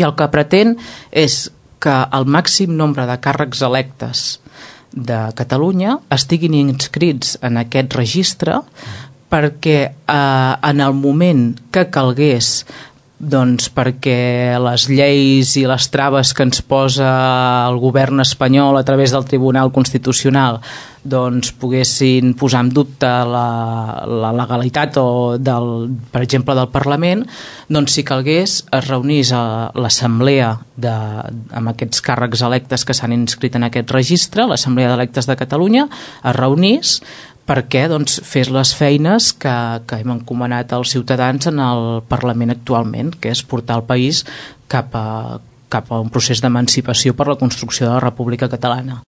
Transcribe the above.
i el que pretén és que el màxim nombre de càrrecs electes de Catalunya estiguin inscrits en aquest registre perquè en el moment que calgués, doncs perquè les lleis i les traves que ens posa el govern espanyol a través del Tribunal Constitucional doncs poguessin posar en dubte la legalitat per exemple del Parlament, doncs si calgués es reunís a l'assemblea amb aquests càrrecs electes que s'han inscrit en aquest registre, l'Assemblea d'Electes de Catalunya es reunís perquè fes les feines que hem encomanat als ciutadans en el Parlament actualment, que és portar el país cap a un procés d'emancipació per la construcció de la República Catalana.